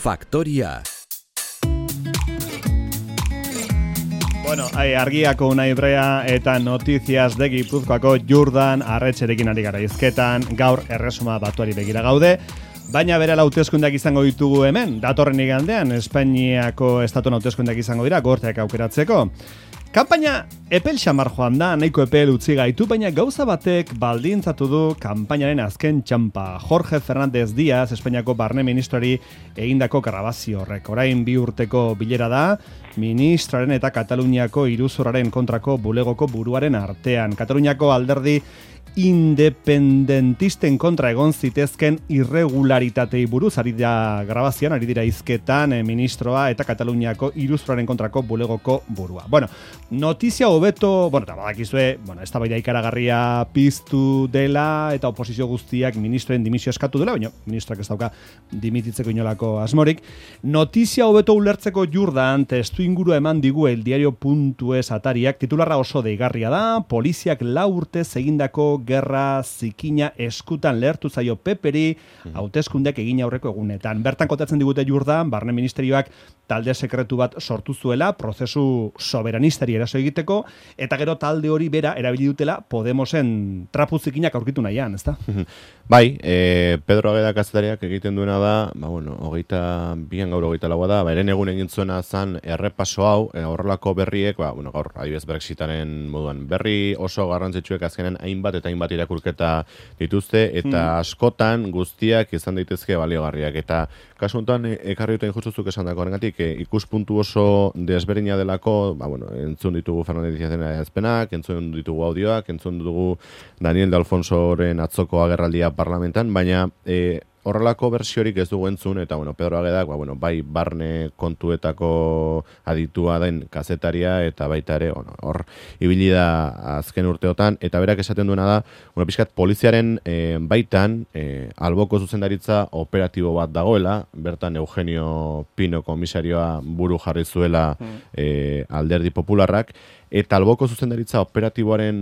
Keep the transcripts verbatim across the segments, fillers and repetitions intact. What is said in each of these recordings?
Faktoria. Bueno, argiako Unai Brea eta Notizias de Gipuzkoako Jordan Arretxerekin ari gara hizketan, gaur erresuma batuari begira gaude, baina bere hauteskundeak izango ditugu hemen, datorren igandean Espainiako estatu hauteskundeak izango dira gorteak aukeratzeko. Kanpaina epel xamar joan da, nahiko epel utzi gaitu, baina gauza batek baldintzatu du kanpainaren azken txampa. Jorge Fernández Díaz, Espainiako barne ministroari egindako grabazio horrek. Orain bi urteko bilera da, ministraren eta Kataluniako iruzurraren kontrako bulegoko buruaren artean. Kataluniako alderdi independentisten kontra egon zitezken irregularitatei buruz ari da grabazioan, ari dira hizketan eh, ministroa eta Kataluniako iruzurraren kontrako bulegoko burua. Bueno, notizia hobeto, bueno, eta badakizue, bueno, ez da baida ikaragarria piztu dela eta oposizio guztiak ministroen dimisio eskatu dela, baina ministroak ez dauka dimititzeko inolako asmorik. Notizia hobeto ulertzeko Jordan testu inguru eman digu el diario puntu es atariak, titularra oso deigarria da, poliziak lau urtez egindako gerra zikina eskutan lehertu zaio Peperi hauteskundeak egin aurreko egunetan. Bertan kontatzen digute Jordan, barne ministerioak talde sekretu bat sortu zuela, prozesu soberanistari eraso egiteko, eta gero talde hori bera erabili dutela Podemosen trapu zikinak aurkitu nahian, ezta? Bai, e, Pedro Ageda kazetariak egiten duena da, ba, bueno, hogeita bian gaur hogeita laua da, ba, eren egun egin zuena zan errepaso hau, e, horrelako berriek, ba, bueno, gaur, adibidez Brexitaren moduan, berri oso garrantzitsuek azkenen hainbat eta hainbat irakurketa dituzte, eta hmm. askotan guztiak izan daitezke baliogarriak, eta kasu honetan ekarri duten justuzuk esan dako horrengatik, e, ikuspuntu oso desberdina delako, ba, bueno, entzun ditugu Fernández Díazen adierazpenak, entzun ditugu audioak, entzun ditugu Daniel de Alfonsoren atzoko agerraldia parlamentan, baina e, horrelako bersiorik ez dugu entzun, eta bueno, Pedro Agedak, ba, bueno, bai barne kontuetako aditua den kazetaria, eta baita ere, bueno, hor ibili da azken urteotan, eta berak esaten duena da, bueno, pixkat poliziaren e, baitan, e, alboko zuzendaritza operatibo bat dagoela, bertan Eugenio Pino komisarioa buru jarri zuela e, alderdi popularrak, eta alboko zuzendaritza operatiboaren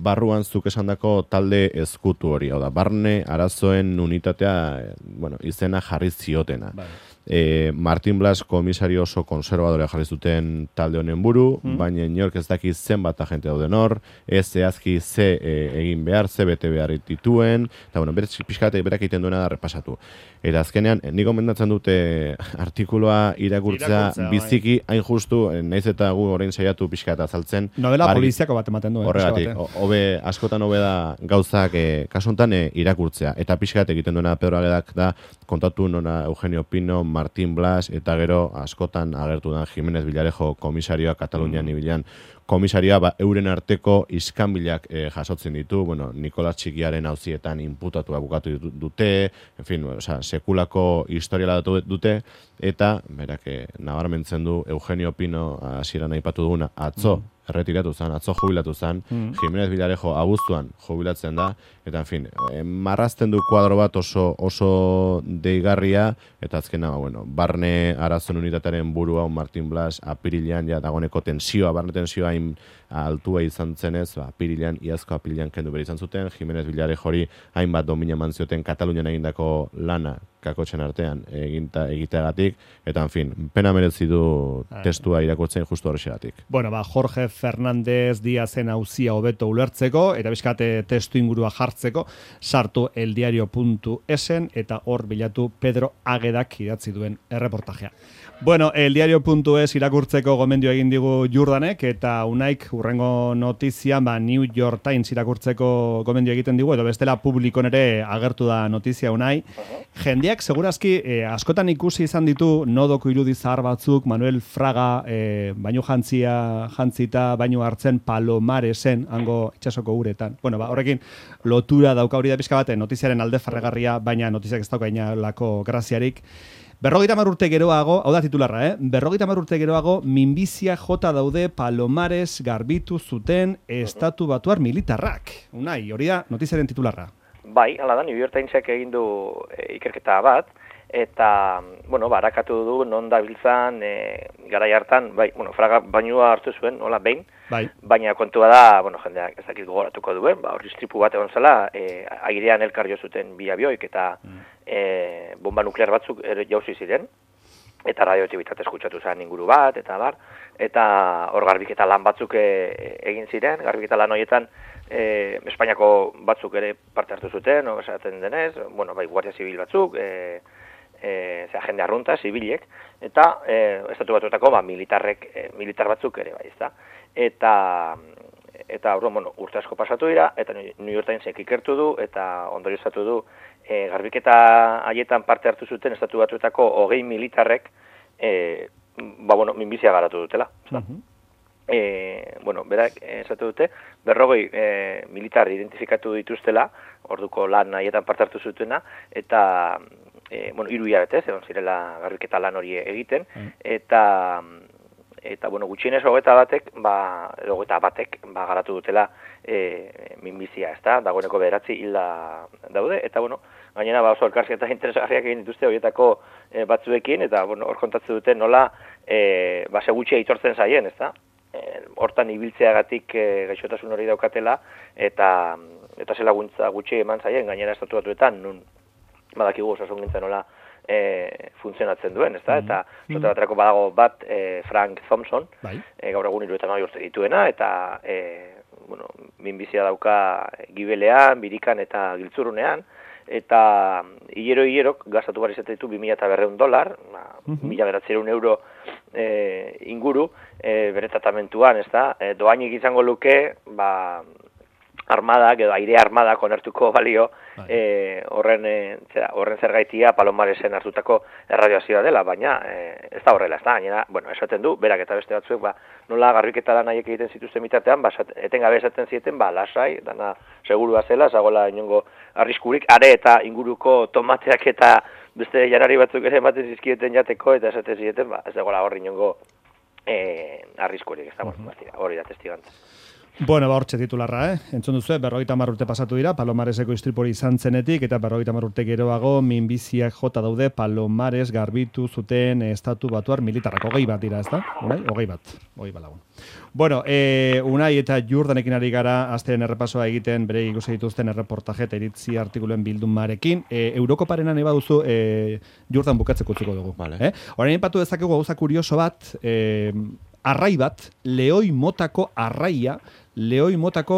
barruan zuk esandako talde ezkutu hori, hau da, barne arazoen unitatea, bueno, izena jarri ziotena. Bai. E, Martin Blas komisario oso konservadorea jarri zuten talde honen buru, mm. baina inork ez daki zenbat agente dauden hor, ez zehazki ze e, egin behar, ze bete behar dituen, eta bueno, beraz pixkate berak egiten duena da repasatu. Eta azkenean, nik gomendatzen dute artikuloa irakurtzea biziki, hain justu, naiz eta gu orain saiatu pixkata azaltzen. Novela poliziako bat ematen duen. Horregatik, hobe, askotan hobe da gauzak e, kasuntan e, irakurtzea. Eta pixkat egiten duena Pedro Agedak da, kontatu nona Eugenio Pino, Martin Blas, eta gero askotan agertu da Jimenez Villarejo komisarioa Katalunian mm. ibilan komisarioa, ba, euren arteko iskanbilak e, jasotzen ditu, bueno, Nikolas Txikiaren auzietan inputatua bukatu dute, en fin, o sea, sekulako historiala dute, eta, berak, e, nabarmentzen du Eugenio Pino hasieran aipatu duguna, atzo, mm. erretiratu zen, atzo jubilatu zen, mm. Jimenez Villarejo abuztuan jubilatzen da, eta, en fin, e, marrazten du kuadro bat oso, oso deigarria, eta azkena, bueno, barne arazon unitatearen burua, Martin Blas, apirilean, ja, dagoneko tensioa, barne tensioa hain altua izan zenez, ba, apirilean, iazko apirilean kendu bere izan zuten, Jimenez Villarejori hainbat domina mantzioten Katalunian egindako lana kakotxen artean eginta, egiteagatik, eta, en fin, pena merezi du testua irakurtzen justu horrexegatik. Bueno, ba, Jorge Fernández Díazen auzia hobeto ulertzeko, eta bizkate testu ingurua jartzeko, sartu eldiario puntu esen, eta hor bilatu Pedro Agedak idatzi duen erreportajea. Bueno, eldiario puntu es irakurtzeko gomendio egin digu Jordanek, eta Unaik urrengo notizian, ba, New York Times irakurtzeko gomendio egiten digu, edo bestela publikon ere agertu da notizia Unai. Jendeak segurazki eh, askotan ikusi izan ditu nodoko irudi zahar batzuk, Manuel Fraga eh, baino jantzia jantzita, baino hartzen Palomaresen hango itsasoko uretan. Bueno, ba, horrekin lotura dauka hori da pixka baten notiziaren alde farregarria, baina notiziak ez dauka inalako graziarik. Berrogeita hamar urte geroago, hau da titularra, eh? Berrogeita hamar urte geroago, minbizia jota daude Palomares garbitu zuten estatu batuar militarrak. Unai, hori da notiziaren titularra. Bai, hala da, New York Timesek egin du e, ikerketa bat, eta, bueno, barakatu du non dabiltzan e, garai hartan, bai, bueno, Fraga bainua hartu zuen, hola, behin, bai. Baina kontua da, bueno, jendeak ez dakit gogoratuko duen, ba, hori istripu bat egon zela, e, airean elkar jo zuten bi abioik, eta mm. e, bomba nuklear batzuk ere jauzi ziren, eta radiotik bitartez eskutsatu zen inguru bat, eta bar, eta hor garbiketa lan batzuk e, egin ziren, garbiketa lan horietan e, Espainiako batzuk ere parte hartu zuten, no, esaten denez, bueno, bai, guardia zibil batzuk, e, e, zera, jende arrunta, zibiliek, eta e, estatu batuetako ba, militarrek, e, militar batzuk ere, bai, ezta. Eta, eta bueno, urte asko pasatu dira, eta New York Timesek ikertu du, eta ondorioztatu du, E, garbiketa haietan parte hartu zuten estatu batuetako hogei militarrek e, ba, bueno, minbizia garatu dutela. Uh-huh. E, bueno, berak esatu dute, berrogei e, militar identifikatu dituztela, orduko lan haietan parte hartu zutena, eta e, bueno, hiru hilabete, egon zirela garbiketa lan hori egiten, uh-huh. eta eta bueno, gutxienez hogeita batek, ba, hogeita batek, ba, garatu dutela e, minbizia, ezta? Dagoeneko bederatzi hilda daude, eta bueno, gainera ba oso elkarrizketa interesgarriak egin dituzte horietako e, batzuekin, eta bueno, hor kontatzen dute nola e, ba, segutxea aitortzen zaien, ezta? E, hortan ibiltzeagatik e, gaixotasun hori daukatela, eta eta ze laguntza gutxi eman zaien, gainera estatu batuetan, nun badakigu osasungintzan nola E, funtzionatzen duen, ezta? Mm-hmm. Eta zote baterako badago bat e, Frank Thompson, bai. e, gaur egun hirurogeita hamabi urte dituena, eta e, bueno, minbizia dauka gibelean, birikan eta giltzurunean, eta hilero-hilerok gastatu behar izaten ditu bi mila berrehun dolar, mm-hmm. mila bederatziehun euro e, inguru, e, bere tratamentuan, ezta? E, doainik izango luke, ba, armadak edo aire armadak onertuko balio e, horren, e, zera, horren zergaitia Palomaresen hartutako erradioazioa dela, baina e, ez da horrela, ez da, gainera, bueno, esaten du, berak eta beste batzuek, ba, nola garbiketa lan haiek egiten zituzten bitartean, ba, etengabe esaten zieten, ba, lasai, dana segurua zela, zagola inongo arriskurik, are eta inguruko tomateak eta beste janari batzuk ere ematen zizkieten jateko, eta esaten zieten, ba, ez dagoela horri inongo e, arriskurik, ez da, uh-huh. hori da testigantza. Bueno, ba, hortxe titularra, eh? Entzun duzu, berrogeita hamar urte pasatu dira, Palomareseko istripori izan zenetik, eta berrogeita hamar urte geroago, minbiziak jota daude Palomares garbitu zuten estatu batuar militarrak. Hogei bat dira, ez da? Hogei bat, hogei bat lagun. Bueno, e, Unai eta Jordanekin ari gara, azteren errepasoa egiten, bere ikusi dituzten erreportaje eta iritzi artikuluen bildumarekin. E, Eurokoparena nahi baduzu, e, Jordan bukatzeko utzuko dugu. Vale. Eh? Orain ipatu dezakegu gauza kurioso bat, e, arrai bat, lehoi motako arraia, lehoi motako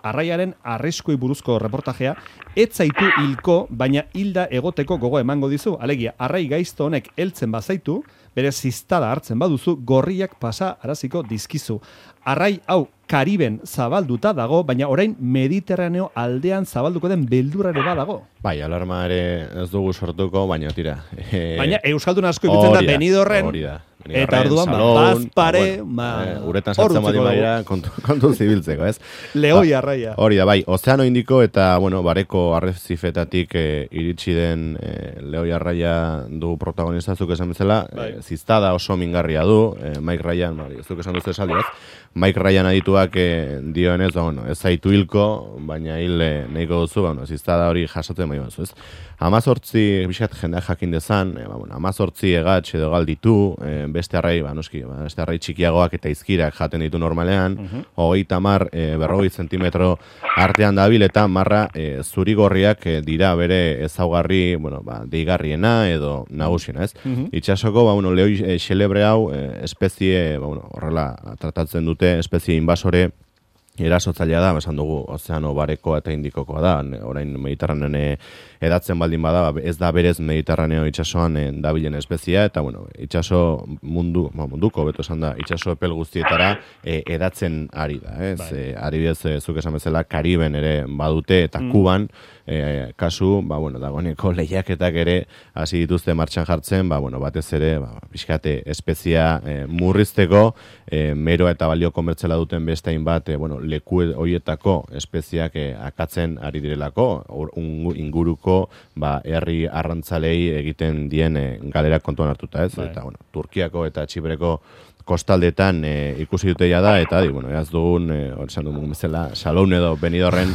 arraiaren arriskui buruzko reportajea, ez zaitu hilko, baina hilda egoteko gogo emango dizu. Alegia, arrai gaizto honek heltzen bazaitu, bere ziztada hartzen baduzu, gorriak pasa araziko dizkizu. Arrai hau Kariben zabalduta dago, baina orain Mediterraneo aldean zabalduko den beldurare badago. Bai, alarma ere ez dugu sortuko, baina tira. E... Baina Euskaldun asko ibiltzen da Benidorren. Hori da. Eta orduan, ba, bazpare, ba, bueno, uretan sartzen badi badira, kontu, kontu zibiltzeko, ez? Lehoi arraia. Hori da, bai, Ozeano Indiko eta, bueno, bareko arrezifetatik e, iritsi den e, lehoi arraia du protagonistazuk esan bezala, bai. e, ziztada oso mingarria du, e, Mike Ryan, bai, ez duk esan duzu esaldi, ez? Mike Ryan adituak e, dioenez, ba, bueno, ez zaitu hilko, baina hil e, nahiko duzu, ba, bueno, ziztada hori jasotzen bai bazu, ez? Amazortzi, biskat jendeak jakin dezan, e, ba, bueno, amazortzi egatx edo galditu, e, beste arrai, ba, noski, ba, beste arrai txikiagoak eta izkirak jaten ditu normalean, uh-huh. hogeita mar, e, berrogei zentimetro artean dabil, eta marra e, zurigorriak e, dira bere ezaugarri, bueno, ba, deigarriena edo nagusiena, ez? Uh-huh. Itxasoko, ba, bueno, lehoi e, xelebre hau, e, espezie, ba, bueno, horrela tratatzen dute, espezie invasore, erasotzailea da, esan dugu, Ozeano Barekoa eta Indikokoa da, orain Mediterranean edatzen baldin bada, ez da berez Mediterraneo itsasoan dabilen espezia, eta bueno, itsaso mundu, ba, munduko, beto esan da, itsaso epel guztietara e, edatzen ari da, ez? Bai. E, ari bez, e, zuk esan bezala, Kariben ere badute, eta mm. Kuban, e, kasu, ba, bueno, dagoeneko lehiaketak ere hasi dituzte martxan jartzen, ba, bueno, batez ere, ba, pixkate, espezia e, murrizteko, e, meroa eta balio komertzela duten bestein bat, e, bueno, leku horietako espeziak eh, akatzen ari direlako, or, un, inguruko ba, herri arrantzalei egiten dien eh, galera kontuan hartuta, ez? Bai. Eta, bueno, Turkiako eta Txipreko kostaldetan eh, ikusi dute ja da, eta, di, bueno, ez dugun, eh, hori esan dugun bezala, Salon edo Benidorren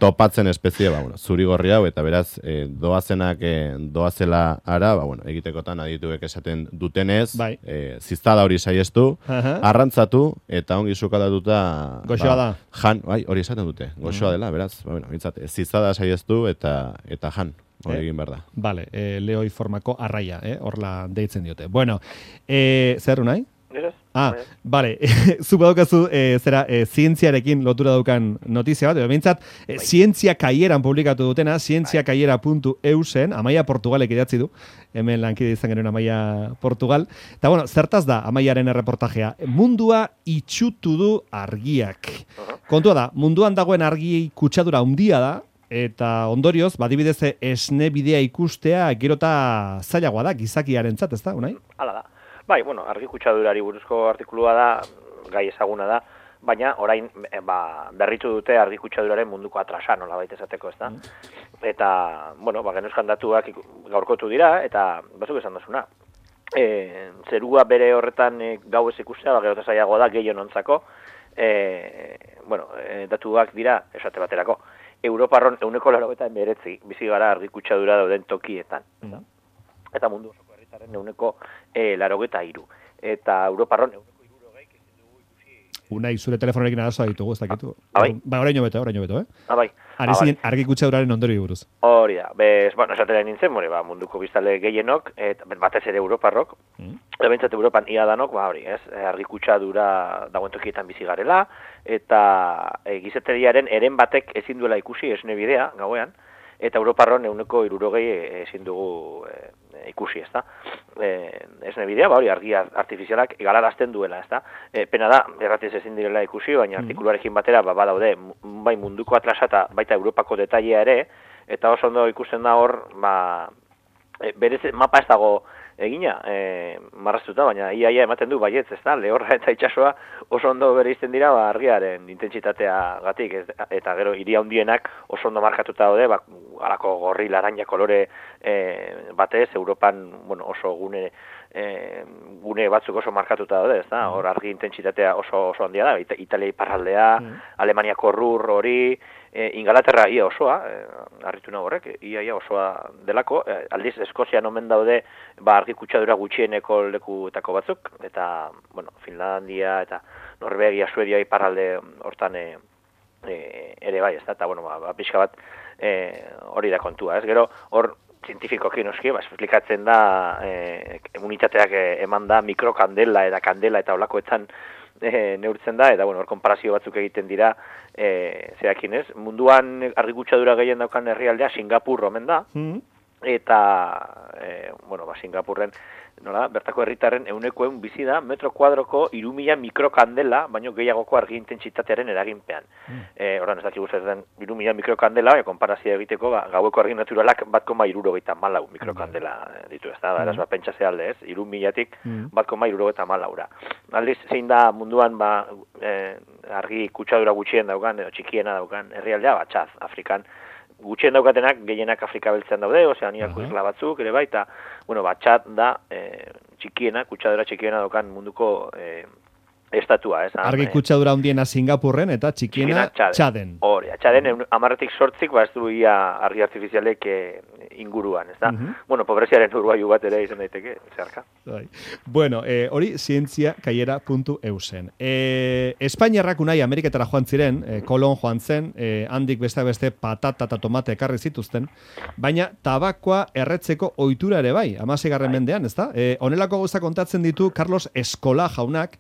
topatzen espezie, ba, bueno, zurigorri hau, eta beraz, e, doazenak e, doazela ara, ba, bueno, egitekotan adituek esaten dutenez, bai. e, ziztada hori saiestu, uh-huh. arrantzatu, eta ongi sukaldatuta... Goxoa ba, da. Jan, bai, hori esaten dute, goxoa uh-huh. dela, beraz, ba, bueno, mitzat, ziztada saiestu, eta, eta jan. hori egin behar da. Vale, eh, leoi formako arraia, eh? Horla deitzen diote. Bueno, eh, zer nahi? Ah, vale, zu badaukazu e, zera, e, zientziarekin lotura daukan notizia bat, behintzat, e, zientzia kaieran publikatu dutena, zientzia kaiera puntu eu zen, Amaia Portugalek idatzi du, hemen lankide izan genuen Amaia Portugal, eta bueno, zertaz da Amaiaren erreportajea, mundua itxutu du argiak. Kontua da, munduan dagoen argi kutsadura handia da, eta ondorioz, badibidez esne bidea ikustea, gerota zailagoa da, gizakiarentzat, ez da, unai? Hala da. Bai, bueno, argi kutsadurari buruzko artikulua da, gai ezaguna da, baina orain e, ba, berritu dute argi kutsaduraren munduko atrasa, nola baita esateko, ez da? Mm. Eta, bueno, ba, genuzkan datuak gaurkotu dira, eta bazuk esan dazuna. E, zerua bere horretan e, gau ez ikustea, ba, gerota zailagoa da, gehien ontzako, e, bueno, e, datuak dira, esate baterako, Europarron euneko laro eta emberetzi, bizi gara argi kutsadura dauden tokietan. Mm. Eta mundu euneko e, larogeta iru. Eta Europarron euneko irurogeik ezin dugu ikusi... Unai, zure telefonorekin arazoa ditugu, ez dakitu. Ah, bai? Ba, oraino beto, oraino beto, eh? Ah, bai. Ari zinen argi kutsaduraren ondori buruz. Hori da. Bez, bueno, esatera nintzen, more, ba, munduko biztale gehienok, et, batez ere Europarrok, mm. eta bentsat Europan ia danok, ba, hori, ez, argi kutsadura dagoen tokietan bizi garela, eta e, gizateriaren eren batek ezin duela ikusi esne bidea, gauean, eta Europarron euneko irurogei ezin dugu e, ikusi, ez da. E, esne bidea, ba hori, argi artifizialak galarazten duela, ez da. E, pena da, erratiz ezin direla ikusi, baina mm-hmm. artikuluarekin batera, ba, badaude, bai munduko atlasa eta baita Europako detailea ere, eta oso ondo ikusten da hor, ba, e, berez mapa ez dago egina, e, marraztuta, baina iaia ematen du baietz, ez da, lehorra eta itsasoa oso ondo bereizten dira, ba, argiaren intentsitatea gatik, ez, eta gero hiri handienak oso ondo markatuta daude, ba, alako gorri laranja kolore e, batez, Europan, bueno, oso gune, e, gune batzuk oso markatuta daude, ez da, hor argi intentsitatea oso, oso handia da, Ita, Italia iparraldea, mm. Alemaniako rur hori, e, Ingalaterra ia osoa, e, harritu nago horrek, ia ia osoa delako, e, aldiz Eskozian omen daude, ba, argi kutsadura gutxieneko lekuetako batzuk, eta, bueno, Finlandia eta Norvegia, Suedia iparralde hortan e, e, ere bai, ez da, eta, bueno, ba, pixka bat e, hori da kontua, ez, gero, hor, zientifikoki noski, ba, esplikatzen da, e, unitateak eman da mikrokandela eta kandela eta olakoetan e, neurtzen da, eta, bueno, hor, konparazio batzuk egiten dira, e, zerakin ez, munduan argi kutsadura gehien daukan herrialdea Singapur omen da, mm-hmm. eta, e, bueno, ba, Singapurren, nola, bertako herritarren euneko eun bizi da, metro kuadroko irumila mikrokandela, baino gehiagoko argi intentsitatearen eraginpean. Mm. E, Horan, ez dakik guztetan irumila mikrokandela, baina konparazia egiteko, ba, gaueko argi naturalak bat koma irurogeita malau mikrokandela ditu, ez da, mm. eraz, ba, pentsa zehalde ez, irumilatik mm. bat koma irurogeita malaura. Aldiz, zein da munduan, ba, e, argi kutsadura gutxien daukan, edo txikiena daukan herrialdea, ba, Txad, Afrikan, gutxien daukatenak, gehienak Afrika beltzean daude, Ozeaniako isla batzuk, ere bai, eta, bueno, ba, Txad da, e, txikiena, kutsadura txikiena daukan munduko e, estatua, ez? Argi kutsadura hundiena Singapurren, eta txikiena Txaden. Hori, Txaden, amarretik sortzik, ba, ez du ia argi artifizialek e, inguruan, ez da? Uh-huh. Bueno, pobreziaren uruaiu bat ere izan daiteke, zeharka. Bueno, eh, hori zientzia kaiera puntu eu zen. Eh, Espainiarrak unai Ameriketara joan ziren, eh, Kolon joan zen, eh, handik beste beste patata eta tomate ekarri zituzten, baina tabakoa erretzeko ohitura ere bai, hamaseigarren mendean, ez da? Eh, honelako gauza kontatzen ditu Carlos Eskola jaunak,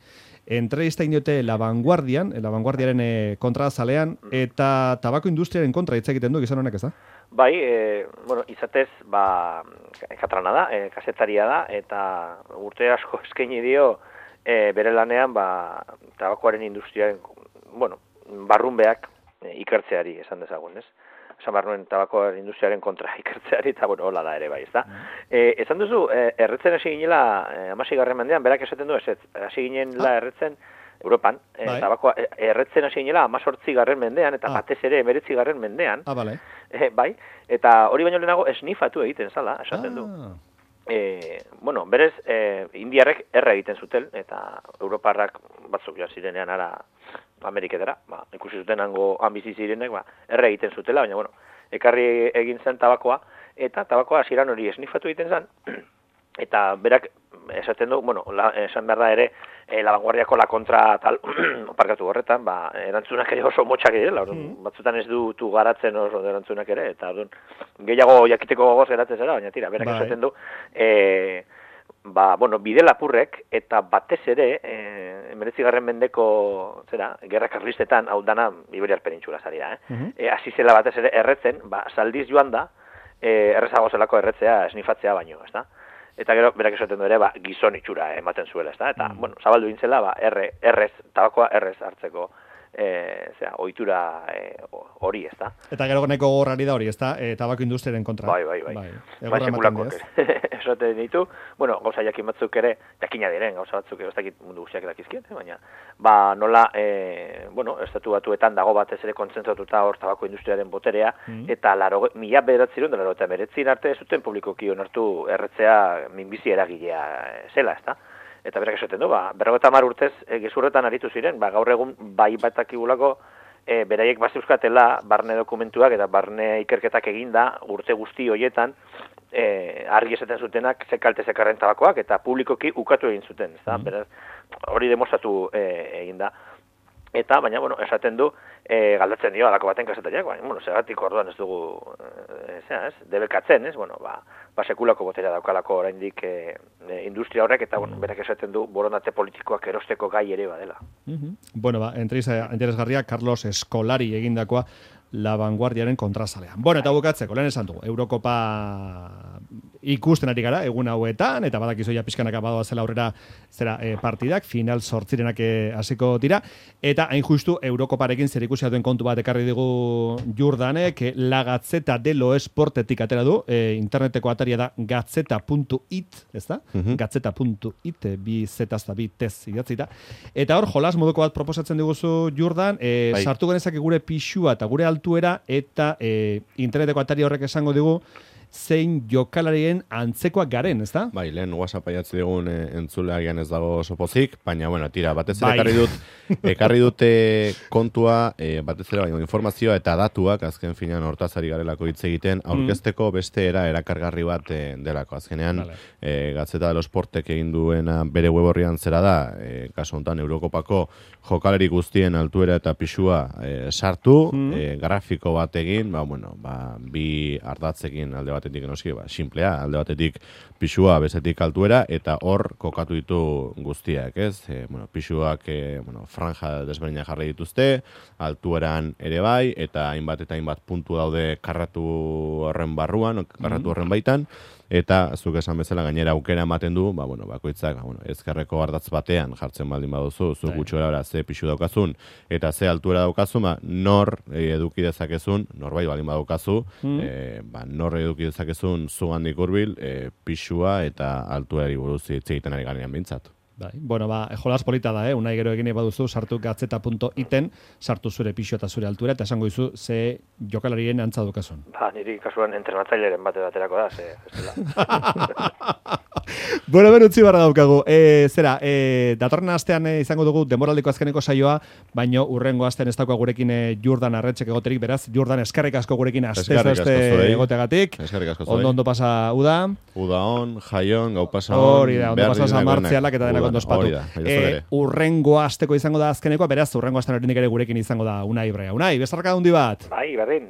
entrevista indiote La Vanguardian, La Vanguardiaren e, kontra zalean, eta tabako industriaren kontra hitz egiten du gizon honek, ez da? Bai, e, bueno, izatez, ba, katrana da, e, kasetaria da, eta urte asko eskaini dio e, bere lanean, ba, tabakoaren industriaren, bueno, barrunbeak e, ikertzeari esan dezagun, ez? Esan behar nuen tabakoaren industriaren kontra ikertzeari, eta, bueno, hola da ere bai, ez da? Mm. E, esan duzu, e, erretzen hasi ginela, e, amasigarren mendean, berak esaten du, ez, hasi ginela erretzen, Europan, e, tabakoa erretzen hasi ginela amazortzi garren mendean, eta ah. batez ere emeretzi garren mendean. Ah, bale. E, bai, eta hori baino lehenago esnifatu egiten zala, esaten du. Ah. E, bueno, berez, e, indiarrek erre egiten zuten, eta Europarrak batzuk ja zirenean ara Ameriketara, ba, ikusi zuten hango hanbizi zirenek, ba, erre egiten zutela, baina, bueno, ekarri egin zen tabakoa, eta tabakoa hasieran hori esnifatu egiten zen, eta berak esaten du, bueno, la, esan behar da ere, e, La Vanguardiako la kontra tal, parkatu horretan, ba, erantzunak ere oso motxak direla, mm. batzutan ez dutu garatzen oso erantzunak ere, eta orduan, gehiago jakiteko gogoz geratzen zera, baina tira, berak esaten du, e, ba, bueno, bide lapurrek, eta batez ere, e, emeretzigarren mendeko, zera, gerra karlistetan, hau dana, Iberiar penintxula zari da, eh? Mm-hmm. E, hasi zela batez ere erretzen, ba, saldiz joan da, e, errezago zelako erretzea, esnifatzea baino, ez da? Eta gero, berak esaten du ere, ba, gizon itxura ematen zuela, ez da? Eta, mm. bueno, zabaldu intzela, ba, erre, errez, tabakoa errez hartzeko, e, zera, ohitura hori, e, ez da? Eta gero nahiko gogorrari da hori, ez da? E, tabako industriaren kontra. Bai, bai, bai. Bai, bai sekulakoak esaten ditu, bueno, gauza jakin batzuk ere, jakina diren, gauza batzuk ez dakit mundu guztiak dakizkien, eh? Baina, ba, nola, e, bueno, estatu batuetan dago batez ere kontzentratuta hor tabako industriaren boterea, mm. eta laro, mila bederatzerun, laro eta beretzin arte zuten publikoki onartu erretzea minbizi eragilea zela, ez da? Eta berak esaten du, ba, berrogeta hamar urtez e, gezurretan aritu ziren, ba, gaur egun bai batakigulako e, beraiek bazeuskatela barne dokumentuak eta barne ikerketak eginda urte guzti hoietan e, argi esaten zutenak zekalte zekarren tabakoak eta publikoki ukatu egin zuten, ez da? Mm. Beraz, hori demostratu e, egin da. Eta, baina, bueno, esaten du, e, galdatzen dio, alako baten kasetariak, baina, bueno, segatik orduan ez dugu, e, zera, ez, debekatzen, ez, bueno, ba, ba sekulako botera daukalako oraindik e, e, industria horrek, eta, bueno, berak esaten du, borondate politikoak erosteko gai ere badela. Mm-hmm. Bueno, ba, entrevista interesgarria, Carlos Escolari egindakoa, La Vanguardiaren kontrazalean. Bueno, eta bukatzeko, lehen esan dugu, Eurokopa ikusten ari gara, egun hauetan, eta badakizu ja pixkanaka badoa zela aurrera zera e, partidak, final sortzirenak hasiko dira, eta hain justu Eurokoparekin zer ikusi duen kontu bat ekarri digu Jordanek, La Gazzetta dello Esportetik atera du, e, interneteko ataria da gazzetta puntu it, ez da? Mm-hmm. gazzetta puntu it, bi zetazta, bi tez idatzita, eta hor, jolas moduko bat proposatzen diguzu Jordan, e, bai. Sartu genezak gure pixua eta gure altuera, eta e, interneteko atari horrek esango digu, zein jokalarien antzekoak garen, ez da? Bai, lehen WhatsApp aiatzi digun e, entzuleagian ez dago oso pozik, baina, bueno, tira, batez ere bai. ekarri dut, ekarri dute kontua, e, batez ere, baina, informazioa eta datuak, azken finean hortazari garelako hitz egiten, aurkezteko mm. beste era erakargarri bat e, delako. Azkenean, vale. e, Gazzetta dello Sportek egin duena bere web horrian zera da, e, kasu honetan Eurokopako jokaleri guztien altuera eta pixua e, sartu, mm. e, grafiko bat egin, ba, bueno, ba, bi ardatzekin alde batetik enoski, ba, simplea, alde batetik pixua, bezetik altuera, eta hor kokatu ditu guztiak, ez? E, bueno, pixuak, e, bueno, franja desberdina jarri dituzte, altueran ere bai, eta hainbat eta hainbat puntu daude karratu horren barruan, karratu horren baitan, eta zuk esan bezala gainera aukera ematen du, ba, bueno, bakoitzak, ba, bueno, ezkerreko ardatz batean jartzen baldin baduzu, zuk gutxora ze pixu daukazun, eta ze altuera daukazun, ba, nor eduki dezakezun, norbait baldin badaukazu, mm. e, ba, nor eduki dezakezun zugandik hurbil, e, pixua eta altuerari buruz hitz egiten ari garenean bintzat. Bai. Bueno, ba, jolas polita da, eh? Unai gero egin baduzu, sartu gazzetta puntu iten, sartu zure pixo eta zure altura, eta esango dizu, ze jokalarien antza dukazun. Ba, niri kasuan entrenatzaileren bate baterako da, ze, Bueno, ben utzi barra daukagu. E, zera, e, datorren astean e, izango dugu demoraldiko azkeneko saioa, baino urrengo astean ez dauka gurekin e, Jordan arretxek egoterik, beraz, Jordan eskarrik asko gurekin astez aste egoteagatik. Eskarrik asko zuei. Ondo ondo pasa uda. Uda on, jaion, gau pasa on. Hori da, ondo pasa San Martzialak eta denak ondo ospatu. E, urrengo asteko izango da azkenekoa, beraz, urrengo astean horinik ere gurekin izango da Unai Brea. Unai, bezarka hundi bat. Bai, berdin.